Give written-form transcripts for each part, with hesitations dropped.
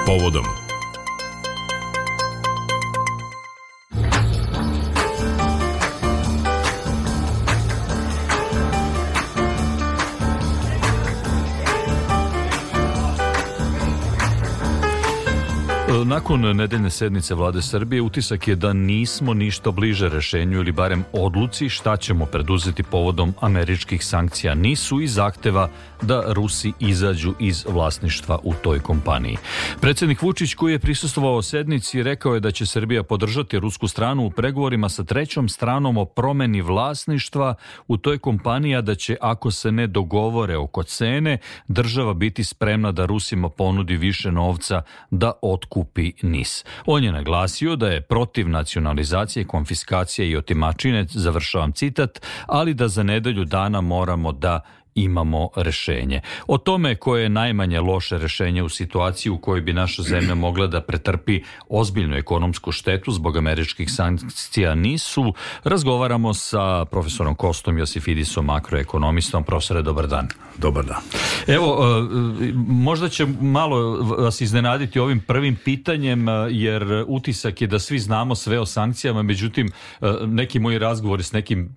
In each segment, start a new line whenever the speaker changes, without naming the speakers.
Povodom.
Nakon nedeljne sednice Vlade Srbije utisak je da nismo ništa bliže rešenju ili barem odluci šta ćemo preduzeti povodom američkih sankcija NIS-u i zahteva da Rusi izađu iz vlasništva u toj kompaniji. Predsjednik Vučić, koji je prisustvovao sednici, rekao je da će Srbija podržati rusku stranu u pregovorima sa trećom stranom o promeni vlasništva u toj kompaniji, a da će, ako se ne dogovore oko cene, država biti spremna da Rusima ponudi više novca da otkupi NIS. On je naglasio da je protiv nacionalizacije, konfiskacije i otimačine, završavam citat, ali da za nedelju dana moramo da imamo rešenje. O tome koje je najmanje loše rešenje u situaciji u kojoj bi naša zemlja mogla da pretrpi ozbiljnu ekonomsku štetu zbog američkih sankcija NIS-u, razgovaramo sa profesorom Kostom Josifidisom, makroekonomistom. Profesore, dobar dan.
Dobar dan.
Evo, možda će malo vas iznenaditi ovim prvim pitanjem, jer utisak je da svi znamo sve o sankcijama, međutim, neki moji razgovori s nekim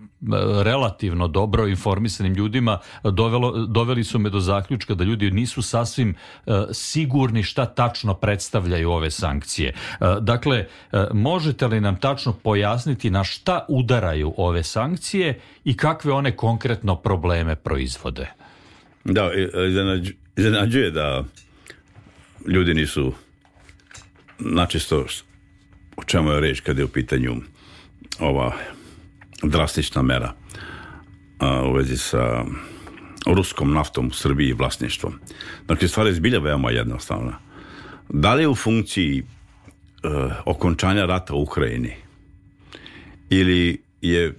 relativno dobro informisanim ljudima doveli su me do zaključka da ljudi nisu sasvim sigurni šta tačno predstavljaju ove sankcije. Dakle, možete li nam tačno pojasniti na šta udaraju ove sankcije i kakve one konkretno probleme proizvode?
Da, iznenađuje da ljudi nisu načisto o čemu je reč kada je u pitanju ova drastična mera u vezi sa ruskom naftom u Srbiji i vlasništvom. Dakle, stvar je zbilja veoma jednostavna. Da li je u funkciji okončanja rata u Ukrajini ili je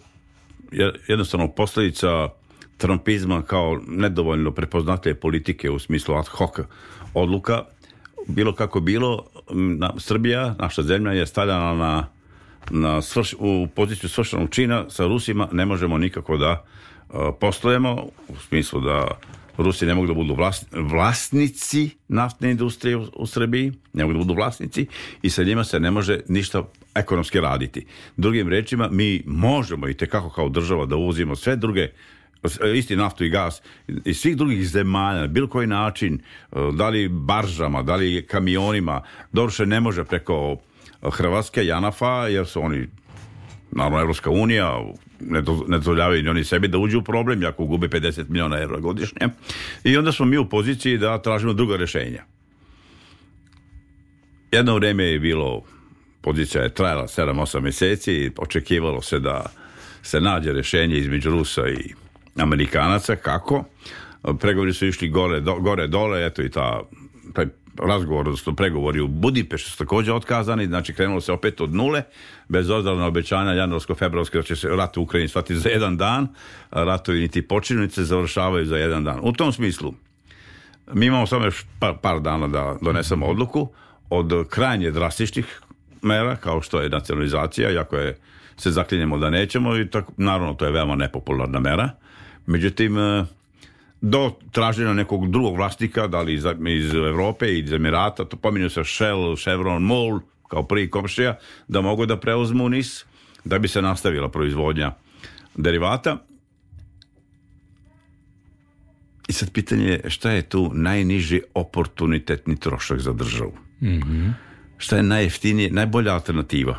jednostavno posljedica trumpizma kao nedovoljno prepoznatljive politike u smislu ad hoc odluka, bilo kako bilo, Srbija, naša zemlja, je stavljena u poziciju svršenog čina. Sa Rusima ne možemo nikako da poslujemo, u smislu da Rusi ne mogu da budu vlasnici naftne industrije u Srbiji, ne mogu da budu vlasnici i sa njima se ne može ništa ekonomski raditi. Drugim rečima, mi možemo i tekako kao država da uvozimo sve druge, isti naftu i gas iz svih drugih zemalja, na bilo koji način, da li baržama, da li kamionima, doduše ne može preko Hrvatske, Janafa, jer su oni, naravno, Evropska unija, ne dozvoljavaju ni oni sebi da uđu u problem, jako gube 50 miliona evra godišnje. I onda smo mi u poziciji da tražimo druga rješenja. Jedno vrijeme je bilo, pozicija je trajala 7-8 mjeseci, očekivalo se da se nađe rješenje između Rusa i Amerikanaca. Kako? Pregovori su išli gore dole, eto i taj razgovor, odnosno pregovori u Budimpešti su također otkazani, znači krenulo se opet od nule, bez obzira na obećanja januarsko-februarske da će se rat u Ukrajini shvatiti za jedan dan, ratovi niti počinju, niti se završavaju za jedan dan. U tom smislu, mi imamo samo još par dana da donesemo odluku od krajnje drastičnih mera, kao što je nacionalizacija, iako se zaklinjemo da nećemo, i tako, naravno to je veoma nepopularna mera. Međutim, do traženja nekog drugog vlasnika, da li iz Evrope i iz Emirata, to pominju se Shell, Chevron, MOL kao prvi komšija, da mogu da preuzmu NIS, da bi se nastavila proizvodnja derivata. I sad pitanje je šta je tu najniži oportunitetni trošak za državu? Mm-hmm. Šta je najjeftinije, najbolja alternativa?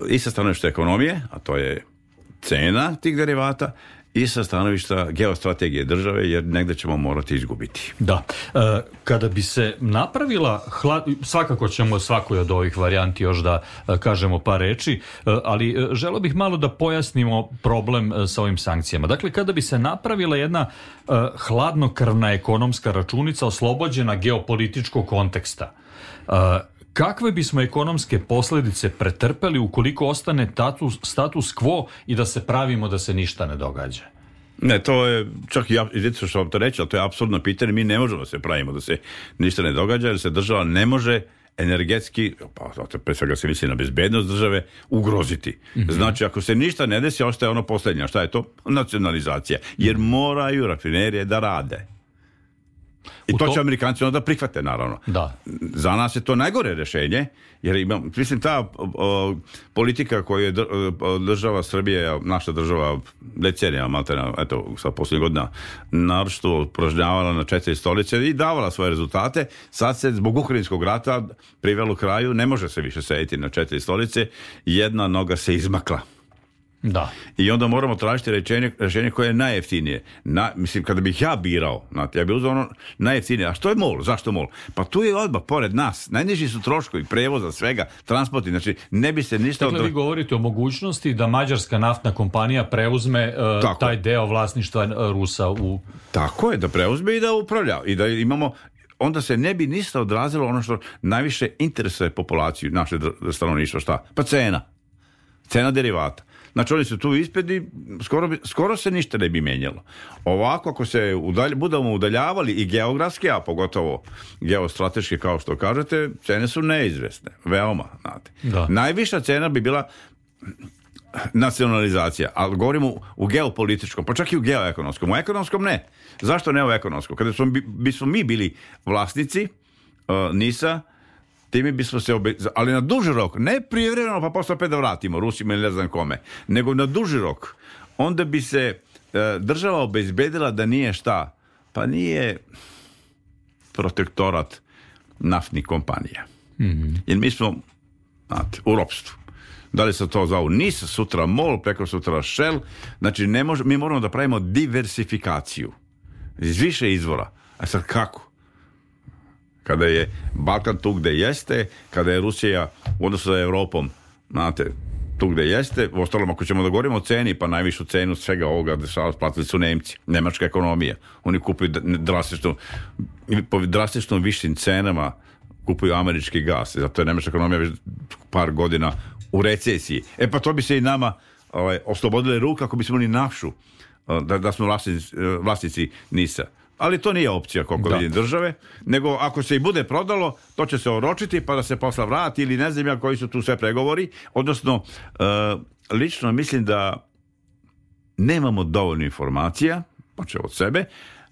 I sa stanovišta ekonomije, a to je cena tih derivata, i sa stanovišta geostrategije države, jer negde ćemo morati izgubiti.
Da. Kada bi se napravila, svakako ćemo svakoj od ovih varijanti još da kažemo par reči, ali želeo bih malo da pojasnimo problem sa ovim sankcijama. Dakle, kada bi se napravila jedna hladnokrvna ekonomska računica oslobođena geopolitičkog konteksta, kakve bismo ekonomske posljedice pretrpeli ukoliko ostane status quo i da se pravimo da se ništa ne događa?
Ne, to je, čak i vidite što vam to reći, ali to je apsurdno pitanje. Mi ne možemo da se pravimo da se ništa ne događa, jer se država ne može energetski, pa pre svega se misli na bezbednost države, ugroziti. Mm-hmm. Znači, ako se ništa ne desi, ostaje ono posljednje. Šta je to? Nacionalizacija. Jer moraju rafinerije da rade. I to će Amerikanci onda prihvate, naravno.
Da.
Za nas je to najgore rješenje, jer mislim, ta politika koju je država Srbije, naša država decenija, maltena, eto, sa posljednjih godina, naročito upražnjavala na 4 stolice i davala svoje rezultate. Sad se zbog ukrajinskog rata privelo kraju, ne može se više sediti na 4 stolice, jedna noga se izmakla.
Da.
I onda moramo tražiti rješenje koje je najjeftinije. Mislim, kada bih ja birao, ja bih uzeo ono najjeftinije. A što je MOL? Zašto MOL? Pa tu je odmah pored nas. Najniži su troškovi prevoza, svega, transporti. Znači, ne bi se ništa...
Dakle, vi govorite o mogućnosti da mađarska naftna kompanija preuzme taj deo vlasništva Rusa u...
Tako je, da preuzme i da upravlja. I da imamo... Onda se ne bi ništa odrazilo ono što najviše interesuje populaciju, naše stanovništva. Šta? Pa cena derivata. Znači oni su tu ispred, skoro se ništa ne bi mijenjalo. Ovako, ako se budemo udaljavali i geografski, a pogotovo geostrateški, kao što kažete, cene su neizvesne. Veoma, znate.
Da.
Najviša cena bi bila nacionalizacija, ali govorimo u geopolitičkom, pa čak i u geoekonomskom. U ekonomskom ne. Zašto ne u ekonomskom? Kada bismo mi bili vlasnici NIS-a, time bismo se ali na duži rok, ne prijevremeno pa posle opet da vratimo Rusima ili ne znam kome, nego na duži rok, onda bi se država obezbedila da nije šta? Pa nije protektorat naftnih kompanija. Mm-hmm. Jer mi smo u ropstvu. Da li se to zovu NIS, sutra MOL, preko sutra Shell, znači mi moramo da pravimo diversifikaciju iz više izvora. A sad kako? Kada je Balkan tu gde jeste, kada je Rusija u odnosu sa Europom, znate, tu gde jeste, u ostalom ako ćemo da govorimo o ceni, pa najvišu cenu svega ovoga platili su Nemci, nemačka ekonomija. Oni kupuju po drastično višim cenama kupuju američki gas, zato je nemačka ekonomija već par godina u recesiji. Pa to bi se i nama oslobodile ruke ako bismo imali našu, da smo vlasnici NIS-a. Ali to nije opcija, koliko vidim, države, nego ako se i bude prodalo, to će se oročiti pa da se posla vrati ili ne znam ja koji su tu sve pregovori. Odnosno, lično mislim da nemamo dovoljno informacija, počeo od sebe,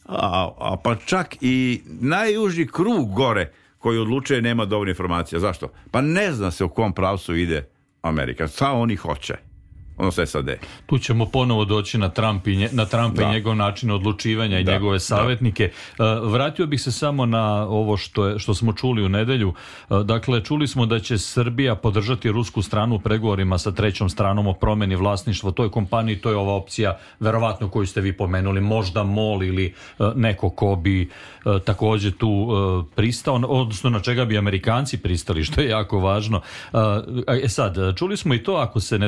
a pa čak i najuži krug gore koji odlučuje nema dovoljno informacija. Zašto? Pa ne zna se u kom pravcu ide Amerika. Sao oni hoće. Odnosno SAD.
Tu ćemo ponovo doći na Trumpa i njegov način odlučivanja i njegove savjetnike. Vratio bih se samo na ovo što smo čuli u nedelju. Dakle, čuli smo da će Srbija podržati rusku stranu u pregovorima sa trećom stranom o promjeni vlasništva toj kompaniji. To je ova opcija, verovatno koju ste vi pomenuli, možda MOL ili neko ko bi također tu pristao, odnosno na čega bi Amerikanci pristali, što je jako važno. Sad, čuli smo i to, ako se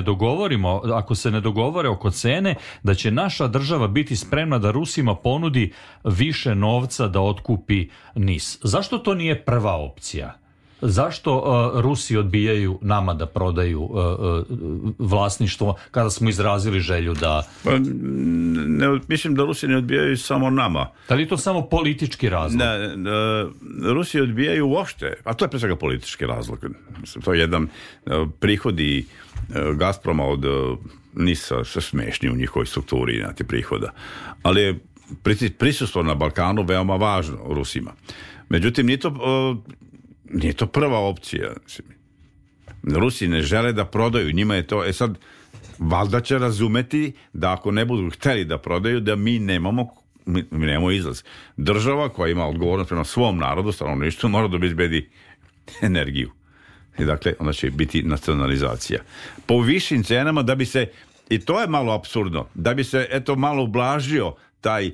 ne dogovore oko cene, da će naša država biti spremna da Rusima ponudi više novca da otkupi NIS. Zašto to nije prva opcija? Zašto Rusi odbijaju nama da prodaju vlasništvo kada smo izrazili želju da...
Mislim da Rusi ne odbijaju samo nama.
Da li je to samo politički razlog?
Rusi odbijaju uopšte, a to je pre svega politički razlog. To je jedan prihodi Gazproma od NIS-a sve smešni u njihovoj strukturi prihoda. Ali je prisustvo na Balkanu veoma važno Rusima. Međutim, nije to prva opcija. Rusi ne žele da prodaju, njima je to... sad, valjda će razumeti da ako ne budu hteli da prodaju, da mi nemamo izlaz. Država koja ima odgovornost prema svom narodu, stanovništvu, mora da obezbedi energiju. I dakle, onda će biti nacionalizacija. Po višim cenama da bi se, i to je malo apsurdno, da bi se malo ublažio taj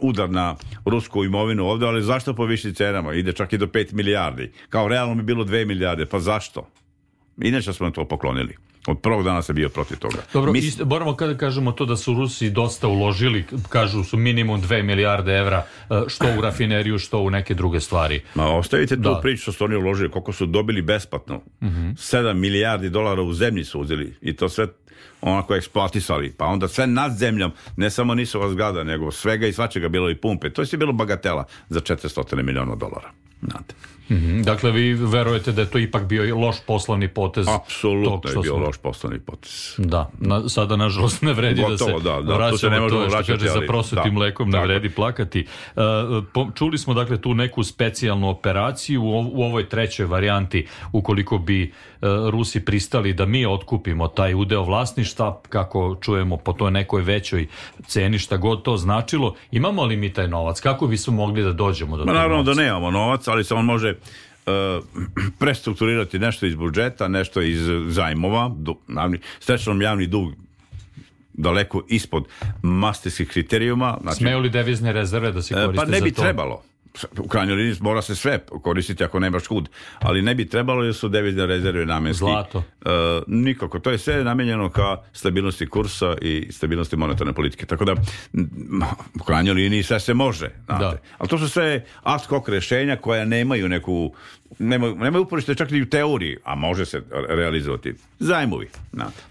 udar na rusku imovinu ovdje, ali zašto po višim cenama? Ide čak i do 5 milijardi. Kao realno bi bilo 2 milijarde. Pa zašto? Inače smo to poklonili. Od prvog dana sam bio protiv toga.
Dobro, moramo kada kažemo to da su Rusi dosta uložili, kažu su minimum 2 milijarde evra, što u rafineriju, što u neke druge stvari.
Ostavite tu priču što su oni uložili, koliko su dobili besplatno. 7 milijardi dolara u zemlji su uzeli i to sve onako eksploatisali. Pa onda sve nad zemljom, ne samo nisu zgrada, nego svega i svačega bilo i pumpe. To je bilo bagatela za $400 miliona. Znate.
Dakle, vi verujete da je to ipak bio loš poslovni potez?
Apsolutno je bio loš poslovni potez.
Da, sada nažalost ne vredi
gotovo,
da se vraćamo to što kaže za prosutim mlekom ne vredi plakati. Čuli smo dakle tu neku specijalnu operaciju u ovoj trećoj varijanti, ukoliko bi Rusi pristali da mi otkupimo taj udeo vlasništva, kako čujemo po toj nekoj većoj ceni, šta god to značilo. Imamo li mi taj novac? Kako bismo mogli da dođemo do tog novca?
Naravno da nemamo novac, ali se on može prestrukturirati nešto iz budžeta, nešto iz zajmova. Srećom javni dug daleko ispod masterskih kriterijuma.
Znači, smeju li devizne rezerve da se koriste za to?
Pa ne bi trebalo. U krajnjoj liniji mora se sve koristiti ako nemaš kud, ali ne bi trebalo jer su devizne rezerve namenski.
Zlato?
Nikako. To je sve namenjeno ka stabilnosti kursa i stabilnosti monetarne politike. Tako da u krajnjoj liniji sve se može. Ali to su sve ad hoc rješenja koja nemaju neku nemaju uporište čak i u teoriji, a može se realizovati. Zajmovi.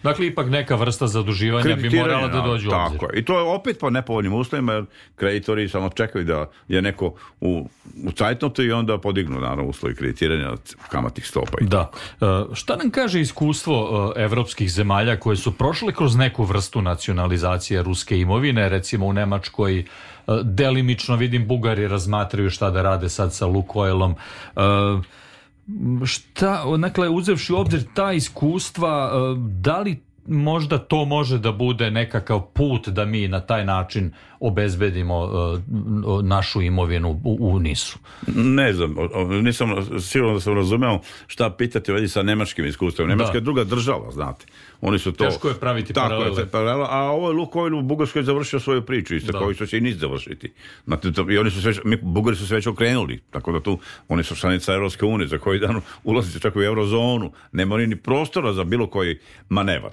Dakle, ipak neka vrsta zaduživanja bi morala da dođe u obzir.
Tako je. I to je opet po nepovoljnim uslovima, jer kreditori samo čekaju da je neko u cajtnotu i onda podignu naravno uslovi kreditiranja kamatnih stopa.
Da. Šta nam kaže iskustvo evropskih zemalja koje su prošle kroz neku vrstu nacionalizacije ruske imovine, recimo u Nemačkoj, delimično vidim Bugari razmatraju šta da rade sad sa Lukoilom. Dakle, uzevši u obzir ta iskustva, da li možda to može da bude nekakav put da mi na taj način obezbedimo našu imovinu u NIS-u?
Ne znam, nisam sigurno da sam razumeo šta pitati ovdje sa nemačkim iskustvom. Nemačka je druga država, znate. Oni su to...
Teško je praviti paralele.
A ovo je Lukoil u Bugarskoj završio svoju priču, isto kao što će i NIS završiti. I oni su Bugari su se već okrenuli, tako da tu oni su članica Europske unije, za koji dan ulazi čak u eurozonu. Nema ni prostora za bilo koji manevar.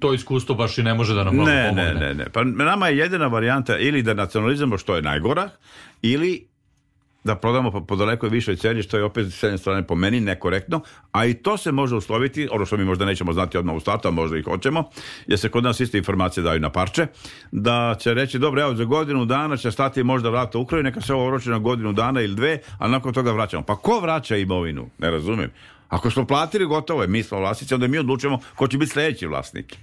To iskustvo baš i ne može da nam mnogo pomogne.
Ne. Pa nama je jedina varijanta ili da nacionalizamo što je najgora, ili da prodamo po daleko višoj ceni, što je opet s jedne strane po meni nekorektno, a i to se može usloviti, ono što mi možda nećemo znati odmah u startu, a možda i hoćemo, jer se kod nas iste informacije daju na parče, da će reći, dobro, evo, za godinu dana će stati možda rat u Ukrajini, neka se ovo oroči na godinu dana ili dve, a nakon toga vraćamo. Pa ko vraća imovinu? Ne razumijem. Ako smo platili, gotovo je, mi smo vlasnici, onda mi odlučujemo ko će biti sljedeći vlasnik.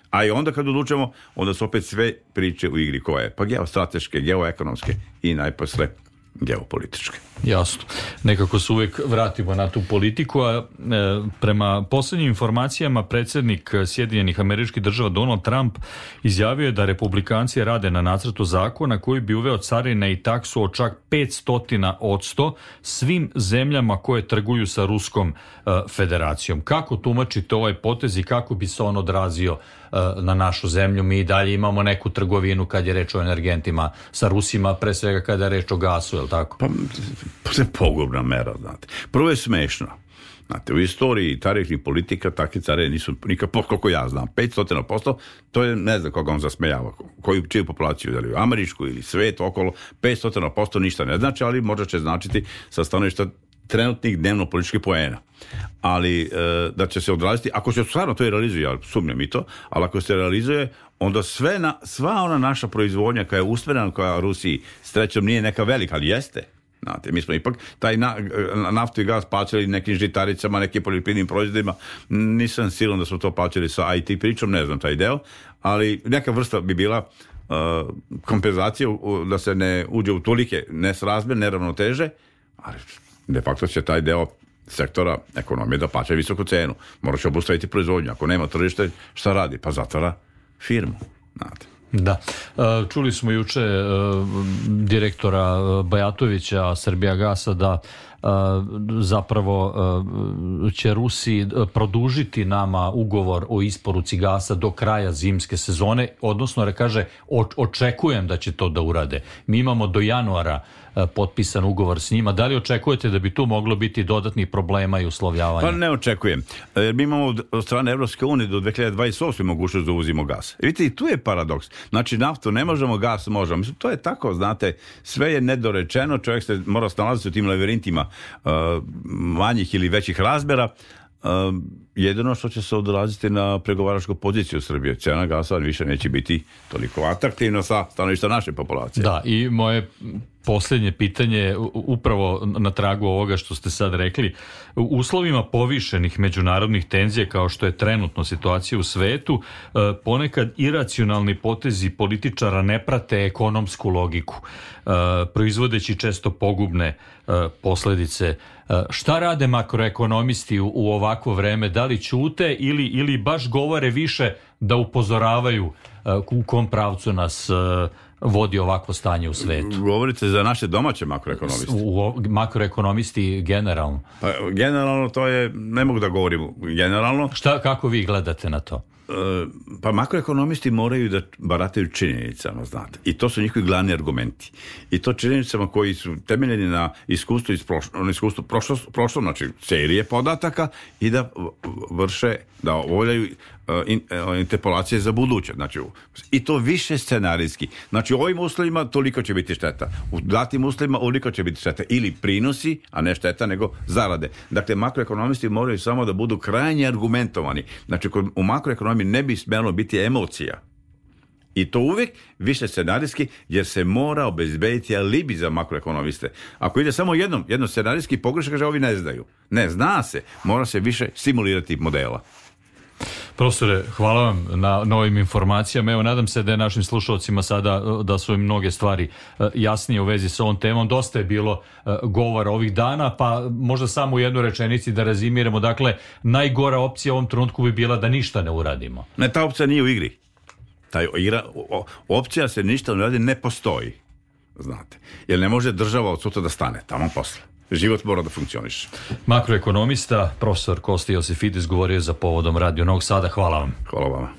A i onda kad odlučujemo, onda su opet sve priče u igri koje. Pa geostrateške, geoekonomske i najposle geopolitičke.
Jasno. Nekako se uvijek vratimo na tu politiku, a prema posljednjim informacijama predsjednik Sjedinjenih Američkih Država Donald Trump izjavio je da republikanci rade na nacrtu zakona koji bi uveo carine i taksu od čak 500% svim zemljama koje trguju sa Ruskom federacijom. Kako tumačite ovaj potez i kako bi se on odrazio na našu zemlju? Mi i dalje imamo neku trgovinu kad je reč o energentima sa Rusima, pre svega kada je reč o gasu, je li tako?
Pa je pogubna mera, znate. Prvo je smešno. Znate, u istoriji tarifnih politika takve care nisu nikad, koliko ja znam, 500%, to je, ne znam koga on zasmejava, čiju populaciju, da li američku ili svet okolo, 500% ništa ne znači, ali možda će značiti sa stanovišta trenutnih dnevno političkih poena. Ali da će se odraziti, ako se stvarno to i realizuje, ja sumnjam i to, ali ako se realizuje, onda sva ona naša proizvodnja koja je usmjerena koja Rusiji srećom nije neka velika, ali jeste. Znate, mi smo ipak taj naftu i gaz plaćali nekim žitaricama, nekim poljoprivrednim proizvodima. Nisam siguran da smo to plaćali sa IT pričom, ne znam taj deo, ali neka vrsta bi bila kompenzacija da se ne uđe u tolike nesrazmjer, neravnoteže, ali de facto će taj deo sektora ekonomije da plaća visoku cenu. Mora će obustaviti proizvodnju. Ako nema tržište, šta radi? Pa zatvara firmu. Znate.
Da. Čuli smo juče direktora Bajatovića Srbijagasa da zapravo će Rusi produžiti nama ugovor o isporuci gasa do kraja zimske sezone, odnosno kaže očekujem da će to da urade. Mi imamo do januara potpisan ugovor s njima. Da li očekujete da bi tu moglo biti dodatnih problema i uslovljavanja?
Pa ne očekujem. Mi imamo od strane Evropske unije do 2028. mogućnost da uvozimo gas. Vidite, i tu je paradoks. Znači, naftu ne možemo, gas možemo. Mislim, to je tako, znate, sve je nedorečeno, čovjek se mora snalaziti u tim labirintima manjih ili većih razmjera. Jedino što će se odraziti na pregovaračku poziciju Srbije. Cena gasa više neće biti toliko atraktivna sa stanovišta naše populacije.
Da, i moje posljednje pitanje, upravo na tragu ovoga što ste sad rekli. U uslovima povišenih međunarodnih tenzija, kao što je trenutno situacija u svetu, ponekad iracionalni potezi političara ne prate ekonomsku logiku, proizvodeći često pogubne posljedice. Šta rade makroekonomisti u ovakvo vreme? Da li ćute ili baš govore više da upozoravaju u kom pravcu nas vodi ovakvo stanje u svetu?
Govorite za naše domaće makroekonomiste?
Makroekonomisti generalno.
Pa, generalno to je, ne mogu da govorim generalno.
Kako vi gledate na to?
Pa makroekonomisti moraju da barataju činjenicama, znate. I to su njihovi glavni argumenti. I to činjenicama koji su temeljeni na iskustvu prošlom, znači serije podataka i da vrše, da obavljaju interpolacije za buduće. Znači, i to više scenarijski. Znači, u ovim uslovima toliko će biti šteta. U datim uslovima ovoliko će biti šteta. Ili prinosi, a ne šteta, nego zarade. Dakle, makroekonomisti moraju samo da budu krajnje argumentovani. Znači, u makroekonomiji ne bi smjelo biti emocija. I to uvijek više scenarijski, jer se mora obezbediti alibi za makroekonomiste. Ako ide samo jedno scenarijski pogrešak, kaže ovi ne znaju. Ne, zna se. Mora se više simulirati modela.
Profesore, hvala vam na novim informacijama. Evo, nadam se da je našim slušalcima sada, da su im mnoge stvari jasnije u vezi sa ovom temom. Dosta je bilo govora ovih dana, pa možda samo u jednoj rečenici da rezimiramo. Dakle, najgora opcija u ovom trenutku bi bila da ništa ne uradimo.
Ne, ta opcija nije u igri. Opcija se ništa ne radi ne postoji. Znate. Jer ne može država od sutra da stane tamo posle. Život mora da funkcioniše.
Makroekonomista, profesor Kosta Josifidis, govorio je za Povodom Radio Novog Sada. Hvala vam.
Hvala vama.